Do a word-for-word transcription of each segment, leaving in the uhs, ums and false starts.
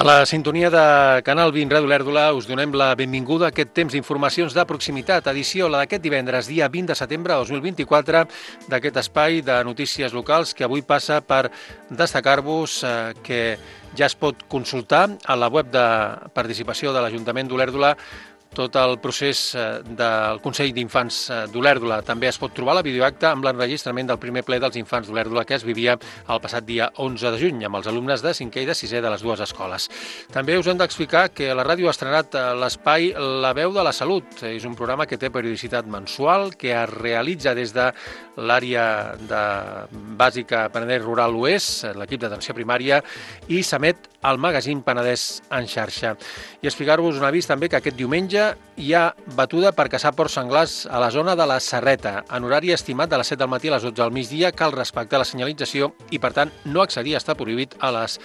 A la sintonia de Canal vint Ràdio Olèrdola us donem la benvinguda a aquest temps d'informacions de proximitat, edició la d'aquest divendres, dia vint de setembre de dos mil vint-i-quatre, d'aquest espai de notícies locals que avui passa per destacar-vos eh, que ja es pot consultar a la web de participació de l'Ajuntament d'Olèrdola tot el procés del Consell d'Infants d'Olèrdola. També es pot trobar la videoacta amb l'enregistrament del primer ple dels infants d'Olèrdola que es vivia el passat dia onze de juny amb els alumnes de cinquè i de sisè de les dues escoles. També us hem d'explicar que la ràdio ha estrenat l'espai La Veu de la Salut. És un programa que té periodicitat mensual, que es realitza des de l'àrea de bàsica Penedès Rural Oest, l'equip d'atenció primària, i s'emet al magazín Penedès en xarxa. I explicar-vos un avís també que aquest diumenge hi ha batuda per caçar porcs senglars a la zona de la Serreta. En horari estimat de les set del matí a les dotze del migdia cal respectar la senyalització i, per tant, no accedir està prohibit a les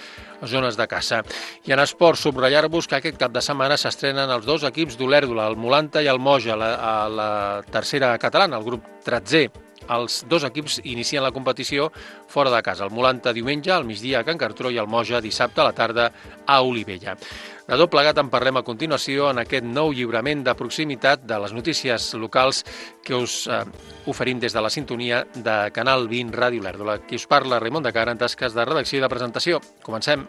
zones de caça. I en esports, subratllar-vos que aquest cap de setmana s'estrenen els dos equips d'Olèrdola, el Molanta i el Moja, la, a la tercera catalana, el grup tretzè. Els dos equips inicien la competició fora de casa. El Molanta diumenge al migdia a Can Cartró i el Moja dissabte a la tarda a Olivella. De tot plegat en parlem a continuació en aquest nou lliurament de proximitat de les notícies locals que us eh, oferim des de la sintonia de Canal vint Ràdio Olèrdola. Qui us parla, Raimon de Cara, en tasques de redacció i de presentació. Comencem.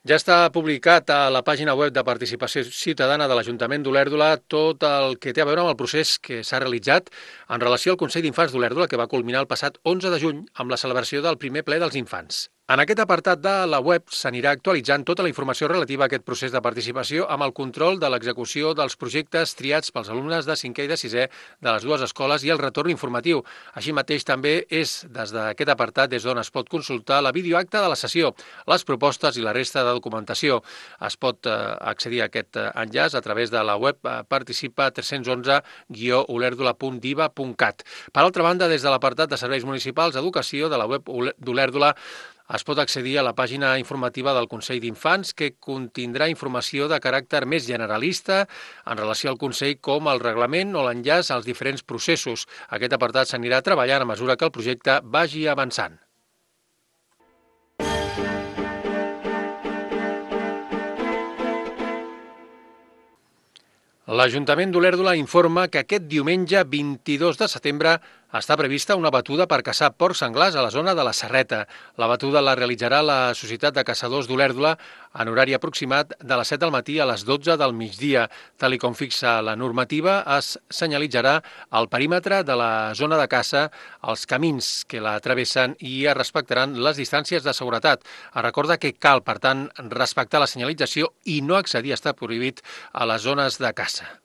Ja està publicat a la pàgina web de Participació Ciutadana de l'Ajuntament d'Olèrdola tot el que té a veure amb el procés que s'ha realitzat en relació al Consell d'Infants d'Olèrdola que va culminar el passat onze de juny amb la celebració del primer ple dels infants. En aquest apartat de la web s'anirà actualitzant tota la informació relativa a aquest procés de participació amb el control de l'execució dels projectes triats pels alumnes de cinquè i de sisè de les dues escoles i el retorn informatiu. Així mateix també és des d'aquest apartat des d'on es pot consultar la videoacta de la sessió, les propostes i la resta de documentació. Es pot accedir a aquest enllaç a través de la web participa tres cents onze guió olèrdola punt diva punt cat. Per altra banda, des de l'apartat de serveis municipals d'educació de la web d'Olèrdola es pot accedir a la pàgina informativa del Consell d'Infants que contindrà informació de caràcter més generalista en relació al Consell com el reglament o l'enllaç als diferents processos. Aquest apartat s'anirà treballant a mesura que el projecte vagi avançant. L'Ajuntament d'Olèrdola informa que aquest diumenge vint-i-dos de setembre està prevista una batuda per caçar porcs senglars a la zona de la Serreta. La batuda la realitzarà la Societat de Caçadors d'Olèrdola en horari aproximat de les set del matí a les dotze del migdia. Tal i com fixa la normativa, es senyalitzarà el perímetre de la zona de caça, els camins que la travessen i es respectaran les distàncies de seguretat. Es recorda que cal, per tant, respectar la senyalització i no accedir està prohibit a les zones de caça.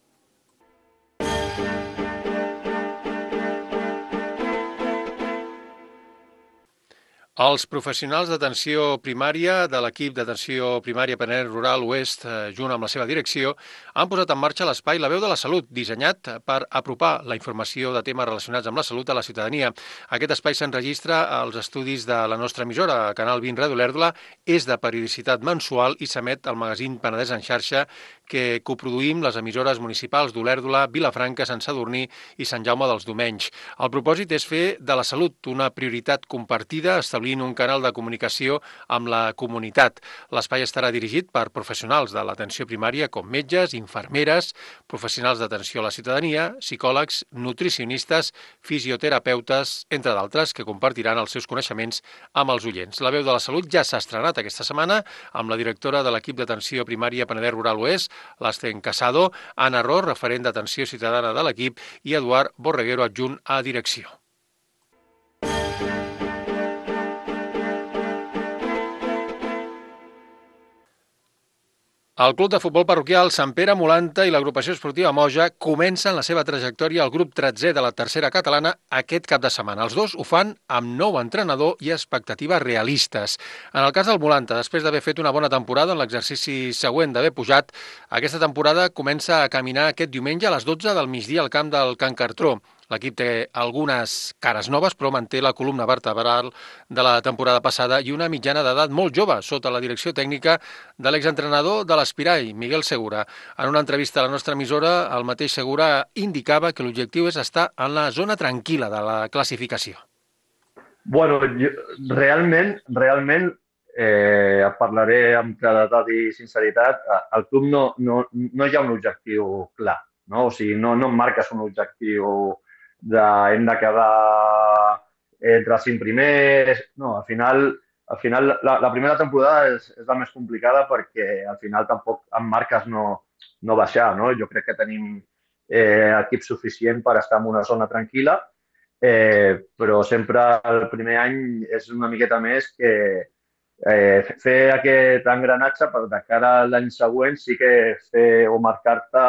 Els professionals d'atenció primària de l'equip d'atenció primària Penedès Rural Oest, junt amb la seva direcció, han posat en marxa l'espai La Veu de la Salut, dissenyat per apropar la informació de temes relacionats amb la salut a la ciutadania. Aquest espai s'enregistra als estudis de la nostra emissora, Canal vint Ràdio Olèrdola, és de periodicitat mensual i s'emet al magazín Penedès en xarxa que coproduïm les emissores municipals d'Olèrdola, Vilafranca, Sant Sadurní i Sant Jaume dels Domenys. El propòsit és fer de la salut una prioritat compartida, establint un canal de comunicació amb la comunitat. L'espai estarà dirigit per professionals de l'atenció primària com metges, infermeres, professionals d'atenció a la ciutadania, psicòlegs, nutricionistes, fisioterapeutes, entre d'altres, que compartiran els seus coneixements amb els oients. La Veu de la Salut ja s'ha estrenat aquesta setmana amb la directora de l'equip d'atenció primària Penedès Rural Oest, l'Sten Casado, Anna Ros, referent d'atenció ciutadana de l'equip, i Eduard Borreguero, adjunt a direcció. El Club de Futbol Parroquial Sant Pere Molanta i l'agrupació esportiva Moja comencen la seva trajectòria al grup tretzè de la tercera catalana aquest cap de setmana. Els dos ho fan amb nou entrenador i expectatives realistes. En el cas del Molanta, després d'haver fet una bona temporada en l'exercici següent d'haver pujat, aquesta temporada comença a caminar aquest diumenge a les dotze del migdia al camp del Can Cartró. L'equip té algunes cares noves, però manté la columna vertebral de la temporada passada i una mitjana d'edat molt jove, sota la direcció tècnica de l'exentrenador de l'Espirai, Miguel Segura. En una entrevista a la nostra emissora, el mateix Segura indicava que l'objectiu és estar en la zona tranquil·la de la classificació. Bueno, jo, realment, realment, eh, parlaré amb claredat i sinceritat, al club no, no, no hi ha un objectiu clar, no? O sigui, no, no em marques un objectiu de hem de quedar entre els cinc primers, no, al final, al final la, la primera temporada és, és la més complicada perquè al final tampoc em marques no, no baixar, no? Jo crec que tenim eh, equip suficient per estar en una zona tranquil·la. Eh, però sempre el primer any és una miqueta més que eh, fer aquest engranatge per de cara a l'any següent sí que fer o marcar-te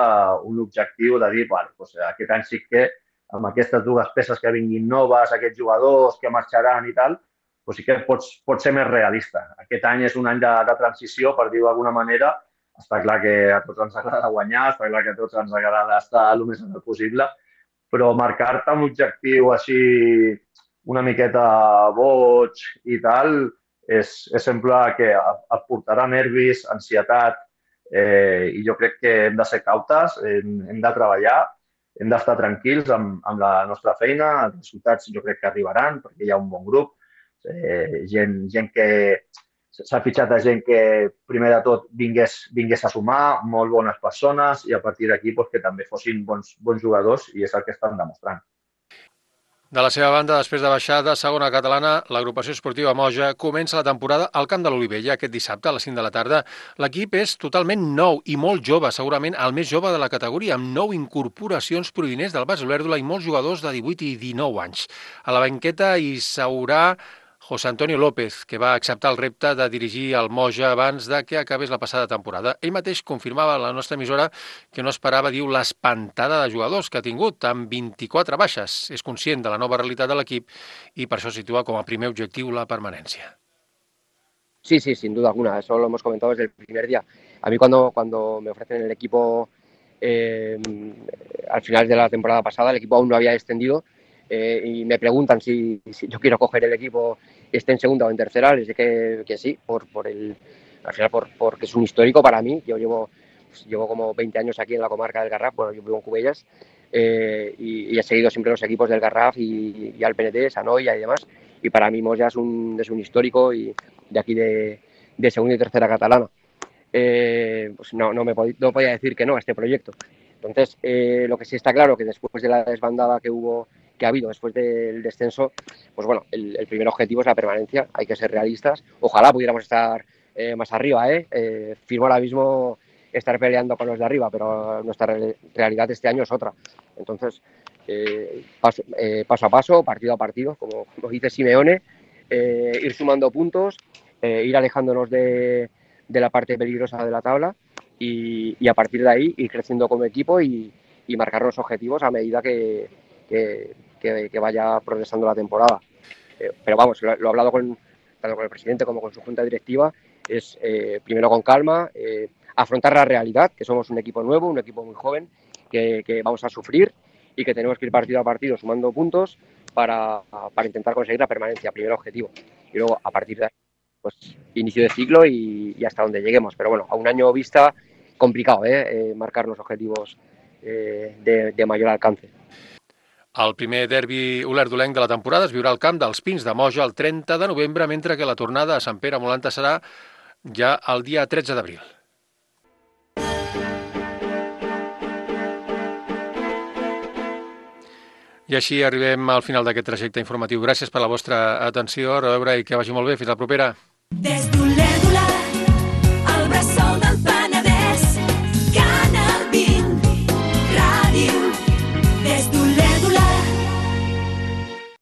un objectiu de dir, bueno, doncs aquest any sí que amb aquestes dues peces que vinguin noves, aquests jugadors que marxaran i tal, doncs sí que pots, pots ser més realista. Aquest any és un any de, de transició, per dir-ho d'alguna manera. Està clar que a tots ens agrada guanyar, està clar que a tots ens agrada estar el més alt possible, però marcar-te un objectiu així una miqueta boig i tal és, és sempre que et portarà nervis, ansietat, eh, i jo crec que hem de ser cautes, hem, hem de treballar, hem d'estar tranquils amb, amb la nostra feina, els resultats jo crec que arribaran perquè hi ha un bon grup, eh, gent, gent que s'ha fitxat a gent que, primer de tot, vingués, vingués a sumar, molt bones persones i a partir d'aquí pues, que també fossin bons, bons jugadors i és el que estan demostrant. De la seva banda, després de baixar de segona catalana, l'agrupació esportiva Moja comença la temporada al Camp de l'Olivella aquest dissabte a les cinc de la tarda. L'equip és totalment nou i molt jove, segurament el més jove de la categoria, amb nou incorporacions provinents del Bas Olèrdola i molts jugadors de divuit i dinou anys. A la banqueta hi s'haurà José Antonio López, que va acceptar el repte de dirigir el Moja abans de que acabés la passada temporada. Ell mateix confirmava a la nostra emissora que no esperava, diu, l'espantada de jugadors que ha tingut, amb vint-i-quatre baixes. És conscient de la nova realitat de l'equip i per això situa com a primer objectiu la permanència. Sí, sí, sin duda alguna. Eso lo hemos comentado desde el primer día. A mí cuando, cuando me ofrecen el equipo eh, al final de la temporada pasada, el equipo aún no había descendido, Eh, y me preguntan si, si yo quiero coger el equipo, esté en segunda o en tercera, les dije que, que sí, por, por el, al final por, porque es un histórico para mí. Yo llevo, pues, llevo como veinte años aquí en la comarca del Garraf, bueno, yo vivo en Cubellas, eh, y, y he seguido siempre los equipos del Garraf y, y al P N T, Sanoia y demás, y para mí Moja es un, es un histórico y de aquí de, de segunda y tercera catalana. Eh, pues no, no, me pod- no podía decir que no a este proyecto. Entonces, eh, lo que sí está claro que después de la desbandada que hubo que ha habido después del descenso, pues bueno, el, el primer objetivo es la permanencia, hay que ser realistas. Ojalá pudiéramos estar eh, más arriba, ¿eh? Eh, firmo ahora mismo estar peleando con los de arriba, pero nuestra re- realidad este año es otra. Entonces, eh, paso, eh, paso a paso, partido a partido, como, como dice Simeone, eh, ir sumando puntos, eh, ir alejándonos de, de la parte peligrosa de la tabla y, y a partir de ahí ir creciendo como equipo y, y marcar los objetivos a medida que, que, que, que vaya progresando la temporada. Eh, pero vamos, lo, lo he hablado con, tanto con el presidente como con su junta directiva, es eh, primero con calma, eh, afrontar la realidad, que somos un equipo nuevo, un equipo muy joven, que, que vamos a sufrir y que tenemos que ir partido a partido sumando puntos para, para intentar conseguir la permanencia, primer objetivo. Y luego, a partir de ahí, pues inicio de ciclo y, y hasta donde lleguemos. Pero bueno, a un año vista, complicado, ¿eh? Eh, marcar los objetivos eh, de, de mayor alcance. El primer derbi olèrdolenc de la temporada es viurà al camp dels Pins de Moja el trenta de novembre, mentre que la tornada a Sant Pere Molanta serà ja el dia tretze d'abril. I així arribem al final d'aquest trajecte informatiu. Gràcies per la vostra atenció, a reveure i que vagi molt bé. Fins la propera. Des